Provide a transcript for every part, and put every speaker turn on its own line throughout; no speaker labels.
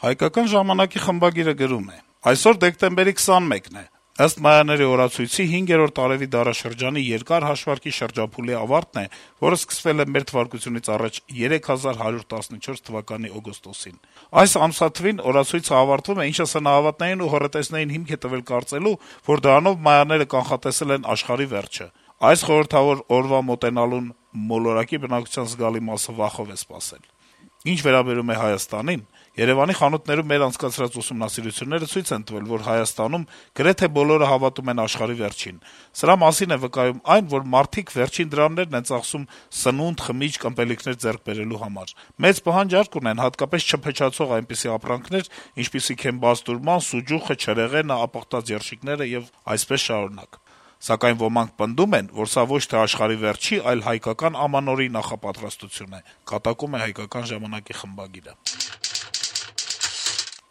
Հայկական ժամանակի խմբագիրը գրում է. - «Այսօր դեկտեմբերի 21-ն է։ Ըստ Մայանների օրացույցի 5-րդ տարեվի դարաշրջանի երկար հաշվարկի շրջափուլի ավարտն է, որը սկսվել է մեր թվարկությունից առաջ 3114 թվականի օգոստոսին։ Այս ամսաթվին օրացույցը ավարտվում է, ինչը սնահավատներին ու հոռետեսներին հիմք է տվել կարծելու, որ դրանով Մայանները կանխատեսել են աշխարհի վերջը։ Այս խորհրդավոր օրվա մոտենալուն մոլորակի բնակչության զգալի մասը վախով է սպասել։ Ինչ վերաբերում է Հայաստանին, Երեւանի խանութներում մեր անցկացրած ուսումնասիրությունները ցույց են տվել, որ Հայաստանում գրեթե բոլորը հավատում են աշխարհի վերջին։ Սրա մասին է վկայում այն, որ մարդիկ վերջին դրամներն են ծախսում սնունդ, խմիչք, ըմպելիքներ ձեռք բերելու համար։ Մեծ պահանջարկ ունեն հատկապես չփչացող այնպիսի ապրանքներ, ինչպիսիք են բաստուրման, սուջուխը, չրեղենը, ապխտած երշիկները եւ այսպես շարունակ։ Սակայն ոմանք պնդում են, որ սա ոչ թե աշխարհի վերջի, այլ հայկական ամանորի նախապատրաստություն է, կատակում է «Հայկական ժամանակ»-ի խմբագիրը։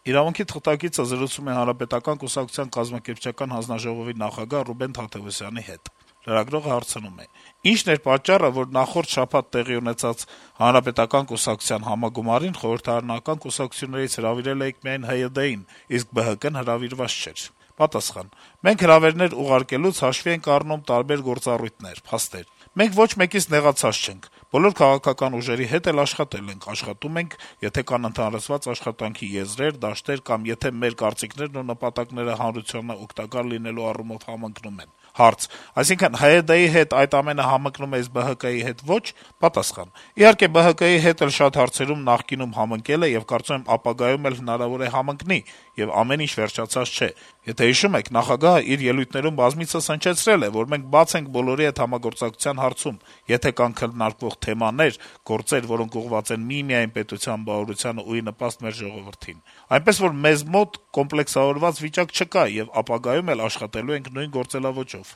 «Իրավունք»-ի թղթակիցը զրուցում է Հանրապետական կուսակցության կազմակերպչական հանձնաժողովի նախագահ Ռուբեն Թադեւոսյանի հետ։ Լրագրողը հարցնում է. - «Ի՞նչն էր պատճառը, որ նախորդ շաբաթ տեղի ունեցած Հանրապետական կուսակցության համագումարին խորհրդարանական կուսակցություններից հրավիրել էիք միայն ՀՅԴ-ին, իսկ ԲՀԿ-ն հրավիրված չէր»։ Պատասխան. - «Մենք հրավերներ ուղարկելուց հաշվի ենք առնում տարբեր գործառույթներ, փաստեր։ Մենք ոչ մեկից նեղացած չենք, բոլոր քաղաքական ուժերի հետ էլ աշխատել ենք, աշխատում ենք, եթե կան ընդհանրացված աշխատանքի եզրեր, դաշտեր կամ եթե մեր կարծիքներն ու նպատակները հանրությանը օգտակար լինելու առումով համընկնում են»։ Հարց. - «Այսինքն ՀՅԴ-ի հետ այդ ամենը համընկնում է, իսկ ԲՀԿ-ի հետ ոչ»։ Պատասխան. - «Իհարկե ԲՀԿ-ի հետ էլ շատ հարցերում նախկինում համընկել է եւ կարծում եմ ապագայում էլ հնարավոր է համընկնի, եւ ամեն ինչ վերջացած չէ։ Եթե հիշում եք, նախագահը իր ելույթներում բազմիցս հնչեցրել է, որ մենք բաց ենք բոլորի հետ համագործակցության հարցում, եթե կան քննարկվող թեմաներ, գործեր, որոնք ուղղված են միմիայն պետության բաղօրությանը ու ի նպաստ մեր ժողովրդին։ Այնպես որ մեզ մոտ կոմպլեքսավորված վիճակ չկա եւ ապագայում էլ աշխատելու ենք նույն գործելավոճով»։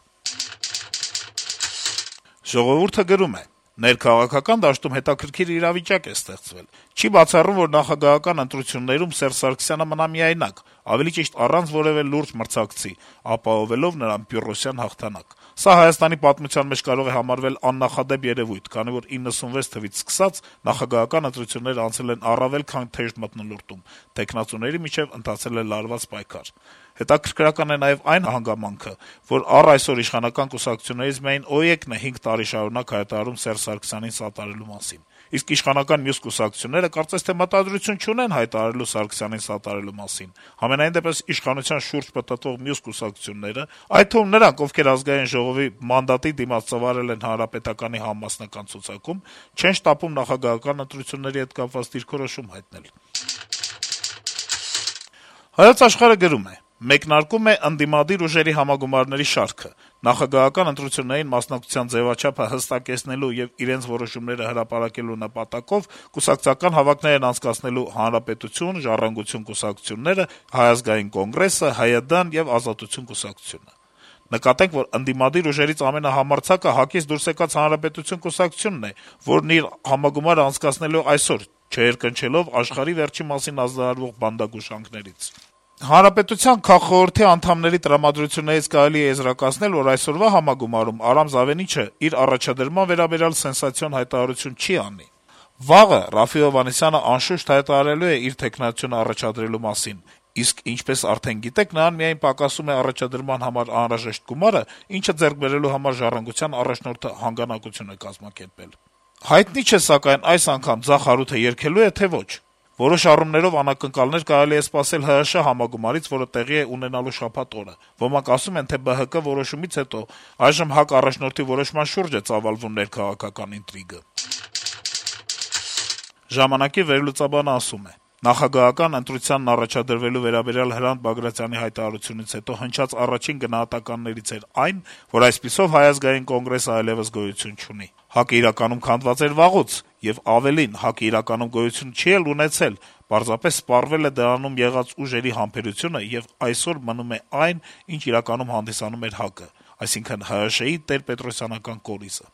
«Ժողովուրդ»-ը գրում է. - «Ներքաղաքական դաշտում հետաքրքիր իրավիճակ է ստեղծվել։ Չի բացառում, որ նախագահական ընտրություններում Սերժ Սարգսյանը մնա միայնակ, ավելի ճիշտ առանց որեւէ լուրջ մրցակցի, ապահովելով նրան Պյռոսյան հաղթանակ։ Սա Հայաստանի պատմության մեջ կարող է համարվել աննախադեպ երեւույթ, քանի որ 96 թվից սկսած նախագահական ընտրությունները անցել են առավել քան թեժ մթնոլորտում, թեկնածուների միջեւ ընթացել է լարված պայքար։ Հետաքրքրական է նաեւ այն հանգամանքը, որ առ այսօր իշխանական կուսակցություններից միայն ՕԵԿ-ն է 5 տարի շարունակ հայտարարում Սերժ Սարգսյանին սատարելու մասին։ Իսկ իշխանական մյուս կուսակցությունները կարծես թե մտադրություն չունեն հայտարարելու Սարգսյանին սատարելու մասին։ Համենայնդեպս իշխանության շուրջ պտտվող մյուս կուսակցությունները, այդ թվում նրանք, ովքեր Ազգային ժողովի մանդատի դիմաց ծավալել են Հանրապետականի համամասնական ցուցակում, չեն շտապում նախագահական ընտրությունների հետ կապված դիրքորոշում հայտնել»։ «Հայոց Աշխարհ»-ը գրում է. - «Մեկնարկում է ընդդիմադիր ուժերի համագումարների շարքը։ Նախագահական ընտրություններին մասնակցության ձեւաչափը հստակեցնելու եւ իրենց որոշումները հրապարակելու նպատակով կուսակցական հավաքներ են անցկացնելու Հանրապետություն, Ժառանգություն կուսակցությունները, Հայ ազգային կոնգրեսը, ՀՅԴ-ն եւ Ազատություն կուսակցությունը։ Նկատենք, որ ընդդիմադիր ուժերից ամենահամարձակը ՀԱԿ-ից դուրս եկած Հանրապետություն կուսակցությունն է, որն իր համագումարը անցկացնելու այսօր, չերկնչելով աշխարհի վերջի մասին ազդարարվող բանտագուշանքներից։ Հանրապետության քաղխորհրդի անդամների տրամադրություններից կարելի է եզրակացնել, որ այսօրվա համագումարում Արամ Զավենիչը իր առաջադրման վերաբերյալ սենսացիոն հայտարարություն չի անի։ Վաղը Րաֆֆի Հովհաննիսյանը անշուշտ հայտարարելու է իր թեկնածությունը առաջադրելու մասին, իսկ ինչպես արդեն գիտեք, նրան միայն պակասում է առաջադրման համար անհրաժեշտ գումարը, ինչը ձեռք բերելու համար Ժառանգության առաջնորդը հանգանակություն է կազմակերպել։ Հայտնի չէ, սակայն այս անգամ ձախ հարութը երգելու է, թե ոչ։ Որոշ առումներով անակնկալներ կարելի է սպասել ՀՀՇ համագումարից, որը տեղի է ունենալու շաբաթ օրը։ Ոմանք ասում են, թե ԲՀԿ որոշումից հետո այժմ ՀԱԿ առաջնորդի որոշման շուրջ է ծավալվում ներքաղաքական ինտրիգը։ Ժամանակի վերլուծաբանը ասում է. - Նախագահական ընտրությանն առաջադրվելու վերաբերյալ Հրանտ Բագրատյանի հայտարարությունից հետո հնչած առաջին գնահատականներից էր այն, որ այսպիսով Հայ ազգային կոնգրեսը այլեւս գոյություն չունի։ ՀԱԿ-ը իրականում քանդված էր վաղուց, եւ ավելին, ՀԱԿ-ը իրականում գոյություն չի էլ ունեցել, պարզապես սպառվել է դրանում եղած ուժերի համբերությունը եւ այսօր մնում է այն, ինչ իրականում հանդիսանում էր ՀԱԿ-ը, այսինքն ՀՀՇ-ի տերպետրոսյանական կորիզը։